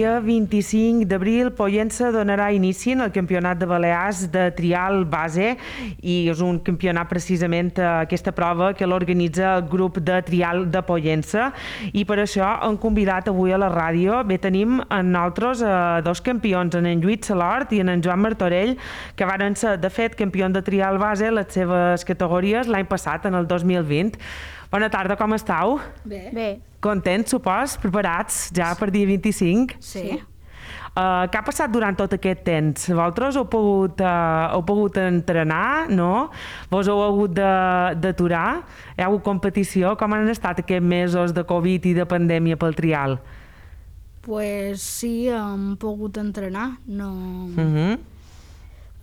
dia 25 d'abril, Pollença donarà inici en el Campionat de Balears de trial base i és un campionat precisament aquesta prova que l'organitza el grup de trial de Pollença i per això hem convidat avui a la ràdio. Bé, tenim en nosaltres dos campions, en Lluís Salort i en Joan Martorell, que varen ser, de fet, campions de trial base les seves categories l'any passat, en el 2020. Bona tarda, com estàu? Bé. Contents, supos? Preparats ja per dia 25? Sí. Què ha passat durant tot aquest temps? Vosaltres heu pogut entrenar, no? Vos heu hagut d'aturar? Hi ha hagut competició? Com han estat aquests mesos de Covid i de pandèmia pel trial? Pues sí, hem pogut entrenar. No...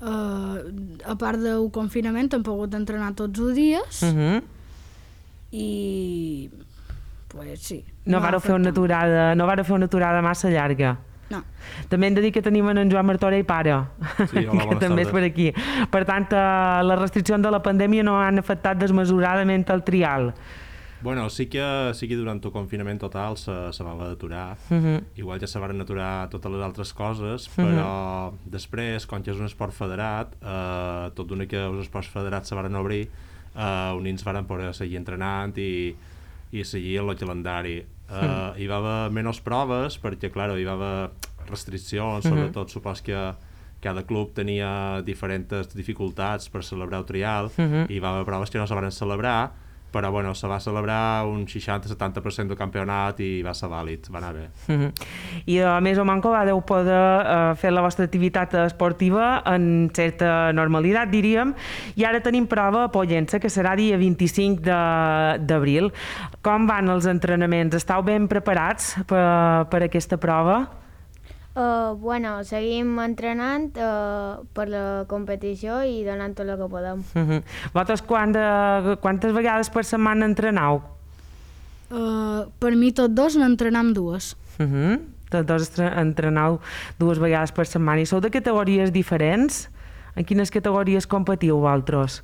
a part del confinament hem pogut entrenar tots els dies i pues sí. No vareu fer una aturada massa llarga? No. També hem de dir que tenim en Joan Martorell pare, sí, hola, que també és per aquí. Per tant, les restriccions de la pandèmia no han afectat desmesuradament el trial. Bueno, sí que durant el confinament total se va d'aturar. Igual ja se van aturar totes les altres coses, però després, quan ja és un esport federat, tot d'una que els esports federats se van obrir, uns nens van poder seguir entrenant i seguir el calendari. Hi va haver menys proves perquè, clar, hi va haver restriccions, sobretot supos que cada club tenia diferents dificultats per celebrar el trial i hi va haver proves que no se van celebrar, però bueno, se va celebrar un 60-70% del campionat i va ser vàlid, va anar bé. I a més o manco vau poder fer la vostra activitat esportiva en certa normalitat, diríem, i ara tenim prova a Pollença, que serà dia 25 d'abril. Com van els entrenaments? Estàu ben preparats per aquesta prova? Bueno, seguim entrenant per la competició i donant tot el que podem. Vosaltres quantes vegades per setmana entrenau? Per mi tots dos n'entrenam dues. Tots dos entrenau dues vegades per setmana. I sou de categories diferents? En quines categories competiu vosaltres?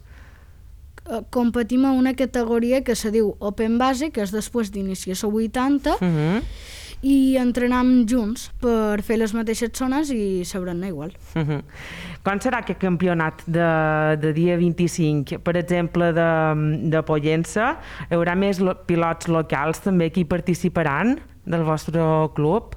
Competim a una categoria que se diu Open Base, que és després d'iniciar la 80, i entrenam junts per fer les mateixes zones i saber-ne igual. Quan serà aquest campionat de dia 25? Per exemple, de Pollença, hi haurà més pilots locals també que hi participaran del vostre club?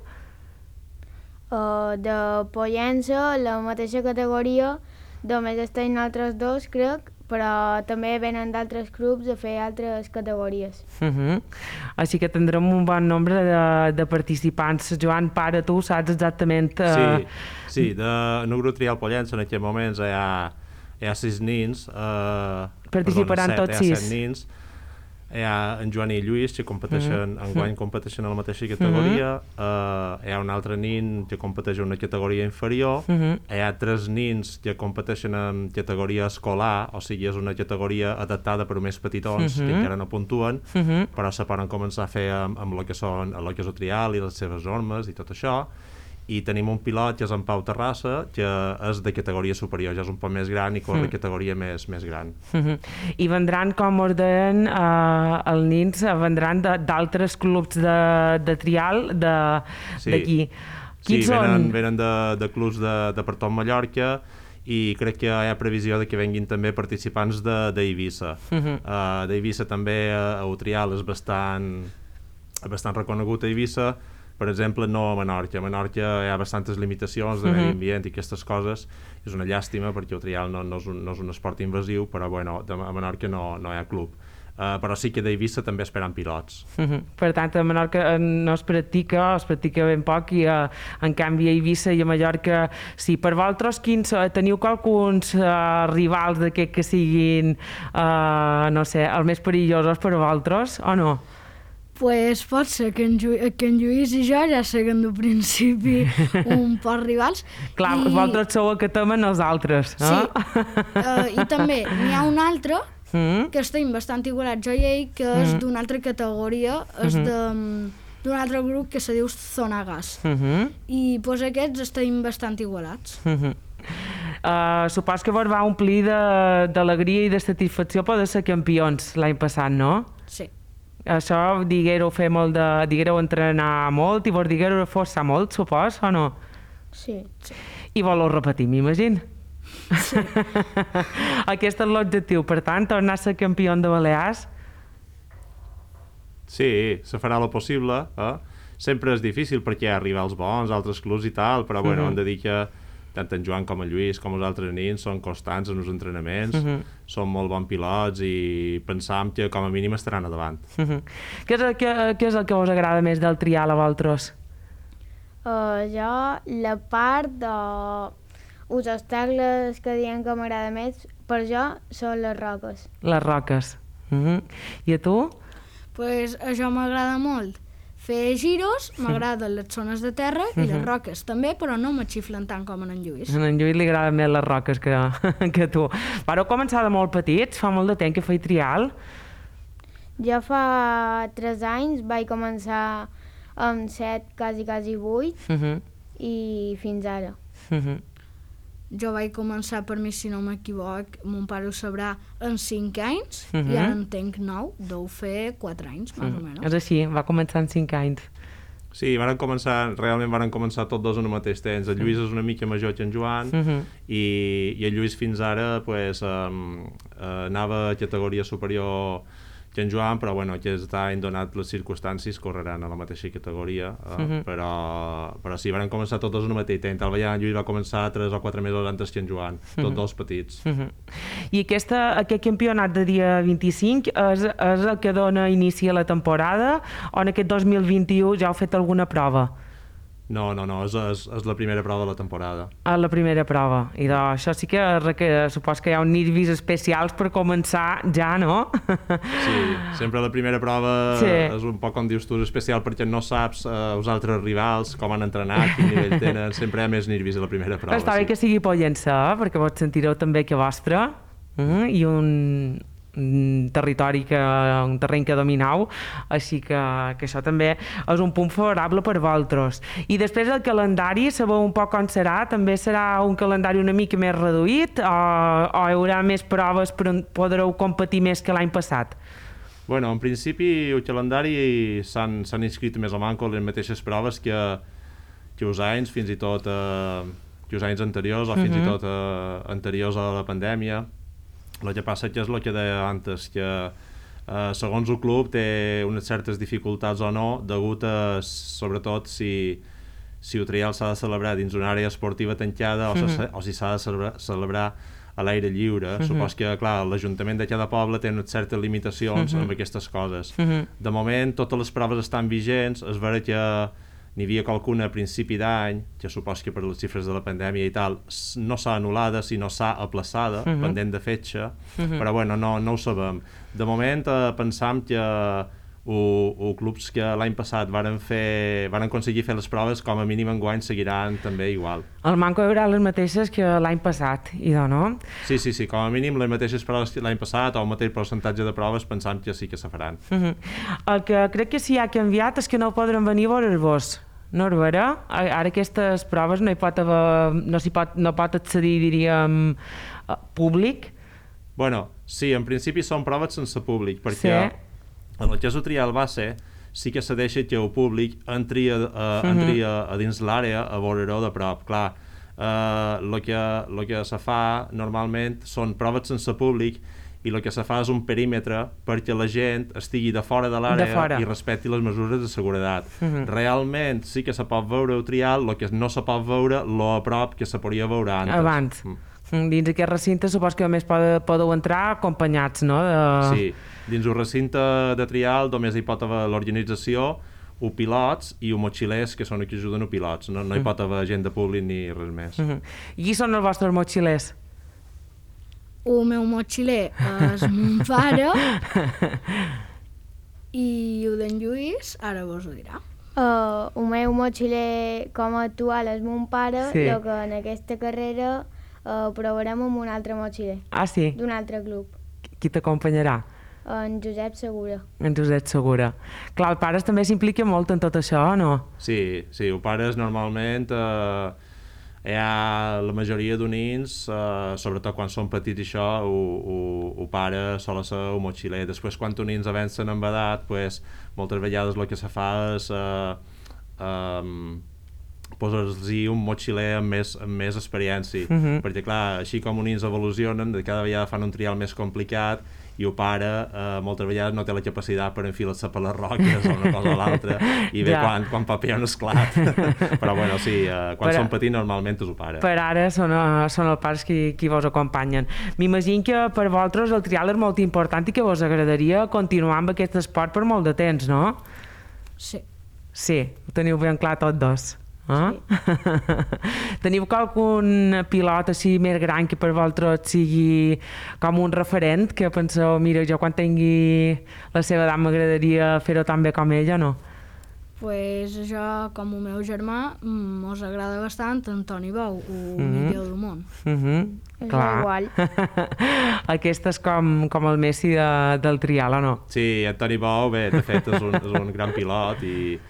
De Pollença, la mateixa categoria, només estem altres dos, crec, però també venen d'altres clubs a fer altres categories. Així que tindrem un bon nombre de participants. Joan, pare, tu saps exactament... Sí, en el grup trial Pollença en aquests moments hi ha 6 nens. Participaran tots 6. Hi ha 7 nens. Hi ha en Joan i Lluís que enguany competeixen a la mateixa categoria. Hi ha un altre nen que competeix en una categoria inferior. Hi ha 3 nens que competeixen en categoria escolar, o sigui, és una categoria adaptada per més petitons que encara no puntuen, però se poden començar a fer amb el que és el trial i les seves normes i tot això. I tenim un pilot que és en Pau Terrassa, que és de categoria superior, ja és un poc més gran i corre categoria més gran. I vendran, com us deien, els nens vendran d'altres clubs de trial d'aquí. Sí, venen de clubs de per tot Mallorca i crec que hi ha previsió de que venguin també participants d'Eivissa. D'Eivissa també el trial és bastant reconegut a Eivissa. Per exemple, no a Menorca. A Menorca hi ha bastantes limitacions de medi ambient i aquestes coses. És una llàstima perquè el trial no és un esport invasiu, però bueno, a Menorca no hi ha club. Però sí que d'Eivissa també esperen pilots. Per tant, a Menorca no es practica ben poc, i en canvi a Eivissa i a Mallorca sí. Per vosaltres, teniu qualcuns rivals d'aquests que siguin, no sé, els més perillosos per a vosaltres, o no? Pues pot ser que en Lluís i jo ja siguem del principi un poc rivals. Clar, vosaltres sou el que temen els altres, no? Sí, i també n'hi ha un altre que estem bastant igualats, jo i ell, que és d'una altra categoria, és d'un altre grup que se diu Zona Gas. I doncs aquests estem bastant igualats. Supos que vos va omplir d'alegria i de satisfacció poder ser campions l'any passat, no? Sí. Això diguéreu fer molt de... diguéreu entrenar molt i vos diguéreu forçar molt, supos, o no? Sí. I voleu repetir, m'imagino? Sí. Aquest és l'objectiu, per tant, tornar a ser campió de Balears? Sí, se farà el possible, Sempre és difícil perquè hi ha rivals bons, altres clubs i tal, però bueno, hem de dir que tant en Joan com en Lluís com els altres nins són constants en els entrenaments, són molt bons pilots i pensam que com a mínim estaran a davant. Què és el que us agrada més del trial a vosaltres? Jo, la part de... els obstacles que diem que m'agrada més, per jo, són les roques. Les roques. I a tu? Pues això m'agrada molt. Fer giros, m'agraden les zones de terra i les roques també, però no me xiflen tant com en Lluís. A en Lluís li agraden més les roques que a tu. Vareu començar de molt petits? Fa molt de temps que feia trial? Jo fa 3 anys vaig començar amb 7, quasi 8, i fins ara. Jo vaig començar, per mi, si no m'equivoc, mon pare ho sabrà, en 5 anys, i ara en tenc 9, deu fer 4 anys, més o menys. És així, va començar en 5 anys. Sí, realment van començar tots dos en el mateix temps. El Lluís és una mica major que en Joan i el Lluís fins ara pues, anava a categoria superior que en Joan, però bueno, aquest any, donat les circumstàncies, correran a la mateixa categoria, però sí, van començar tots dos en el mateix temps. El en Lluís va començar 3 o 4 mesos antes que en Joan, tots dos petits. I aquest campionat de dia 25 és el que dona inici a la temporada o en aquest 2021 ja heu fet alguna prova? No, és la primera prova de la temporada. La primera prova. I això sí que supos que hi ha uns nervis especials per començar ja, no? Sí, sempre la primera prova és un poc, com dius tu, especial perquè no saps els altres rivals, com han entrenat, quin nivell tenen, sempre hi ha més nervis a la primera prova. Està bé que sigui pollença, perquè vos sentireu també que vostre i un terreny que dominau, així que això també és un punt favorable per vosaltres. I després el calendari, sabeu un poc com serà? També serà un calendari una mica més reduït o hi haurà més proves però podreu competir més que l'any passat? Bueno, en principi el calendari s'han inscrit més o manco les mateixes proves que els anys, fins i tot que els anys anteriors o fins i tot anteriors a la pandèmia. El que passa és el que deia antes, que segons el club té unes certes dificultats o no, degut a, sobretot, si el trial s'ha de celebrar dins una àrea esportiva tancada o si s'ha de celebrar a l'aire lliure. Supos que, clar, l'Ajuntament de cada poble té unes certes limitacions amb aquestes coses. De moment, totes les proves estan vigents, és vera que n'hi havia qualcuna a principi d'any, que supos que per les xifres de la pandèmia i tal, no s'ha anul·lada, sinó s'ha aplaçada, pendent de fetge, però bueno, no ho sabem. De moment pensam que els clubs que l'any passat van aconseguir fer les proves, com a mínim enguany seguiran també igual. El manco hi haurà les mateixes que l'any passat, idò, no? Sí, com a mínim les mateixes proves que l'any passat o el mateix percentatge de proves pensam que sí que se faran. El que crec que sí ha canviat és que no podran venir a veure-vos. No és vera? Ara aquestes proves no pot accedir, diríem, públic? Bueno, sí, en principi són proves sense públic, perquè en el que és el trial base sí que se deixa que el públic entri a dins l'àrea a veure-ho de prop. Clar, el que se fa normalment són proves sense públic i el que se fa és un perímetre perquè la gent estigui de fora de l'àrea i respecti les mesures de seguretat. Realment sí que se pot veure el trial, el que no se pot veure lo a prop que se podria veure abans. Dins aquest recinte supos que només podeu entrar acompanyats, no? Sí, dins el recinte de trial només hi pot haver l'organització, els pilots i els motxilers, que són els que ajuden els pilots. No hi pot haver gent de públic ni res més. I qui són els vostres motxilers? El meu motxiler és mon pare i el d'en Lluís ara vos ho dirà. El meu motxiler com a actual és mon pare, però que en aquesta carrera provarem amb un altre motxiler. Ah, sí? D'un altre club. Qui t'acompanyarà? En Josep Segura. En Josep Segura. Clar, el pare també s'implica molt en tot això, no? Sí, el pare normalment La majoria d'unins, sobretot quan són petits i això, ho pare sol ser un motxiler. Després, quan unins avancen en edat, pues, moltes vegades el que se fa és posar-los un motxiler amb més experiència, perquè clar, així com unins evolucionen, de cada vegada fan un trial més complicat i el pare moltes vegades no té la capacitat per enfilar-se per les roques o una cosa o l'altra i ve quan paper un esclat. Però bueno, sí, quan són petits normalment és el pare. Per ara són els pares qui vos acompanyen. M'imagino que per vosaltres el trial és molt important i que vos agradaria continuar amb aquest esport per molt de temps, no? Sí. Sí, ho teniu ben clar tots dos. Sí. Teniu algun pilot així més gran que per vosaltres sigui com un referent, que penseu, mira, jo quan tingui la seva edat m'agradaria fer-ho tan bé com ella, no? Pues jo, com el meu germà, mos agrada bastant Antoni Bou, el millor del món. És igual. Aquest és com el Messi del trial, o no? Sí, Antoni Bou, bé, de fet és un gran pilot i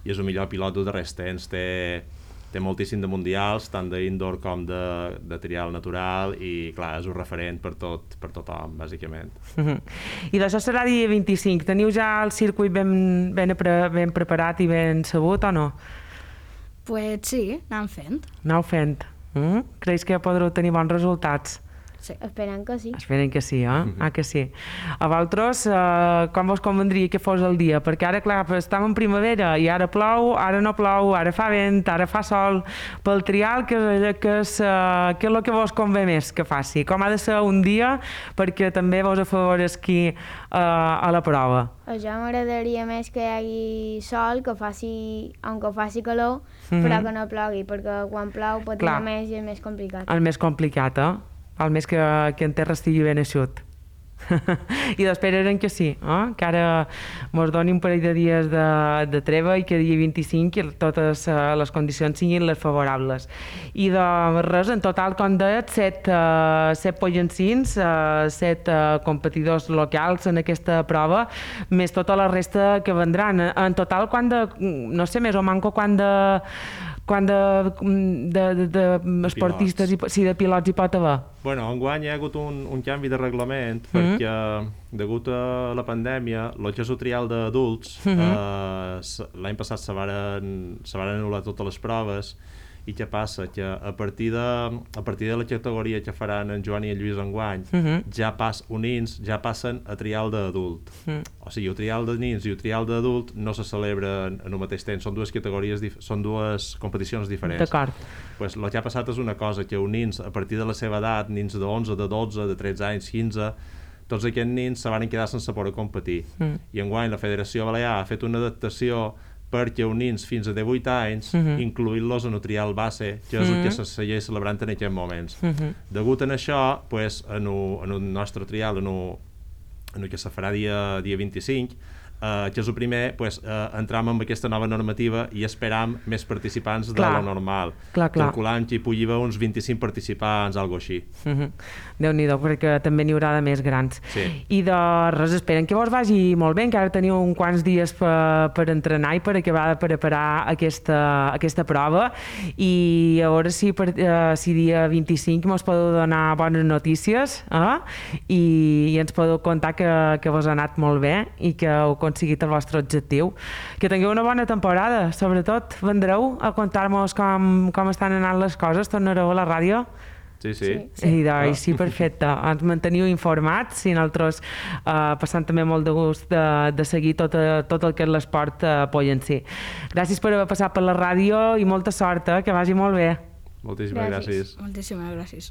és el millor pilot dels darrers temps. Té moltíssim de mundials, tant d'indoor com de trial natural, i clar, és un referent per tothom, bàsicament. I d'això serà dia 25. Teniu ja el circuit ben preparat i ben sabut, o no? Pues sí, anam fent. Aneu fent. Creus que podreu tenir bons resultats? Sí. Esperem que sí. Esperen que sí, que sí. A vosaltres, com vos convendria que fos el dia? Perquè ara, clar, estem en primavera i ara plou, ara no plou, ara fa vent, ara fa sol. Pel trial, què és el que vos convé més que faci? Com ha de ser un dia perquè també vos afavoresqui a la prova? A jo m'agradaria més que hi hagi sol, que faci calor, però que no plogui, perquè quan plou patina més i és més complicat. El més complicat, el més que en terra estigui ben eixut. I esperarem que sí, que ara mos doni un parell de dies de treva i que dia 25 totes les condicions siguin les favorables. I de res, en total, com dèiet, 7 pollancins, 7 competidors locals en aquesta prova, més tota la resta que vendran. En total, no sé, més o manco quan de esportistes, de pilots hi pot haver? Bueno, enguany hi ha hagut un canvi de reglament perquè degut a la pandèmia el que és el trial d'adults l'any passat se varen anul·lar totes les proves. I què passa? Que a partir de la categoria que faran en Joan i en Lluís enguany ja passen a trial d'adult. O sigui, el trial de nins i el trial d'adult no se celebren en el mateix temps, són dues categories, són dues competicions diferents. D'acord. Pues el que ha passat és una cosa, que els nins, a partir de la seva edat, nins de 11, de 12, de 13 anys, 15, tots aquests nins se van quedar sense poder competir. I enguany la Federació Balear ha fet una adaptació perquè els nins fins a 18 anys incluir-los en el trial base, que és el que se segueix celebrant en aquests moments. Degut a això, pues, en el nostre trial, en el que se farà dia 25, que és el primer, pues, entram amb aquesta nova normativa i esperam més participants de lo normal. Calculant que hi pugui haver uns 25 participants, algo així. Déu-n'hi-do, perquè també n'hi haurà de més grans. Sí. I de res, esperen que vos vagi molt bé, encara teniu uns quants dies per entrenar i per acabar de preparar aquesta prova, i a veure si dia 25 mos podeu donar bones notícies i ens podeu contar que vos ha anat molt bé i que heu aconseguit el vostre objectiu. Que tingueu una bona temporada, sobretot vendreu a contar-nos com estan anant les coses, tornareu a la ràdio? Sí. Sí, perfecte. Ens manteniu informats i nosaltres passant també molt de gust de seguir tot el que és l'esport pollencí. Gràcies per haver passat per la ràdio i molta sort, que vagi molt bé. Moltíssimes gràcies. Moltíssimes gràcies.